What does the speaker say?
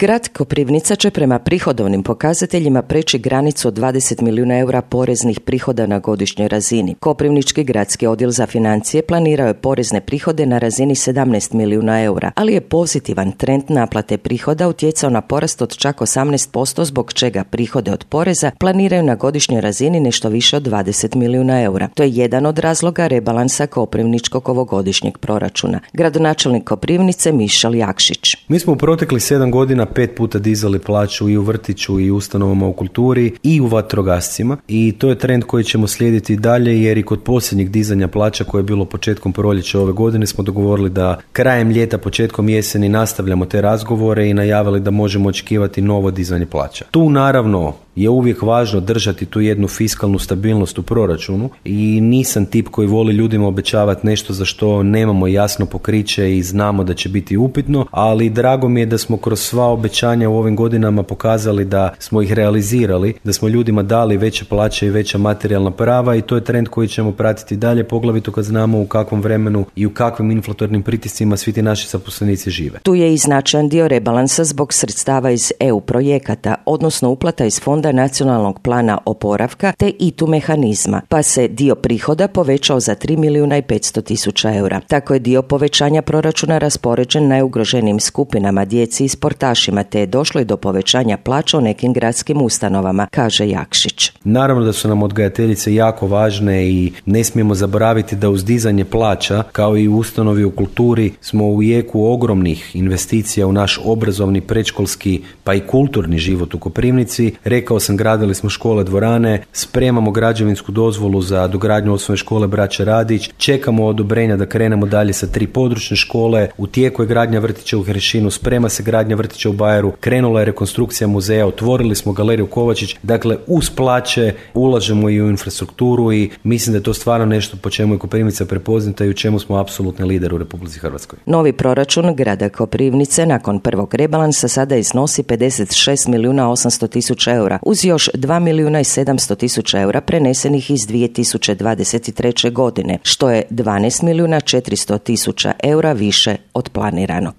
Grad Koprivnica će prema prihodovnim pokazateljima preći granicu od 20 milijuna eura poreznih prihoda na godišnjoj razini. Koprivnički gradski odjel za financije planirao je porezne prihode na razini 17 milijuna eura, ali je pozitivan trend naplate prihoda utjecao na porast od čak 18%, zbog čega prihode od poreza planiraju na godišnjoj razini nešto više od 20 milijuna eura. To je jedan od razloga rebalansa koprivničkog ovogodišnjeg proračuna. Gradonačelnik Koprivnice Mišel Jakšić. Mi smo u proteklih 7 godina 5 puta dizali plaću i u vrtiću i u ustanovama u kulturi i u vatrogascima i to je trend koji ćemo slijediti dalje, jer i kod posljednjeg dizanja plaća koje je bilo početkom proljeća ove godine smo dogovorili da krajem ljeta, početkom jeseni nastavljamo te razgovore i najavili da možemo očekivati novo dizanje plaća. Tu naravno je uvijek važno držati tu jednu fiskalnu stabilnost u proračunu i nisam tip koji voli ljudima obećavati nešto za što nemamo jasno pokriće i znamo da će biti upitno, ali drago mi je da smo kroz sva obećanja u ovim godinama pokazali da smo ih realizirali, da smo ljudima dali veće plaće i veća materijalna prava i to je trend koji ćemo pratiti dalje, poglavito kad znamo u kakvom vremenu i u kakvim inflatornim pritiscima svi ti naši zaposlenici žive. Tu je i značajan dio rebalansa zbog sredstava iz EU projekata, odnosno uplata iz Fonda nacionalnog plana oporavka te ITU mehanizma, pa se dio prihoda povećao za 3 milijuna i 500 tisuća eura. Tako je dio povećanja proračuna raspoređen najugroženijim skupinama, djeci i sportašima, te je došlo i do povećanja plaća u nekim gradskim ustanovama, kaže Jakšić. Naravno da su nam odgajateljice jako važne i ne smijemo zaboraviti da uz dizanje plaća, kao i u ustanovi u kulturi, smo u jeku ogromnih investicija u naš obrazovni, predškolski pa i kulturni život u Koprivnici. Rekao sam, gradili smo škole, dvorane, spremamo građevinsku dozvolu za dogradnju osnovne škole Braće Radić, čekamo odobrenja da krenemo dalje sa 3 područne škole, u tijeku je gradnja vrtića u Hrešinu, sprema se gradnja vrtića u Bajeru, krenula je rekonstrukcija muzeja, otvorili smo galeriju Kovačić, dakle uz plaće ulažemo i u infrastrukturu i mislim da je to stvarno nešto po čemu je Koprivnica prepoznata i u čemu smo apsolutni lider u Republici Hrvatskoj. Novi proračun grada Koprivnice nakon prvog rebalansa sada iznosi 56 milijuna 800 tisuća eura, uz još 2 milijuna i 700 tisuća eura prenesenih iz 2023. godine, što je 12 milijuna 400 tisuća eura više od planiranog.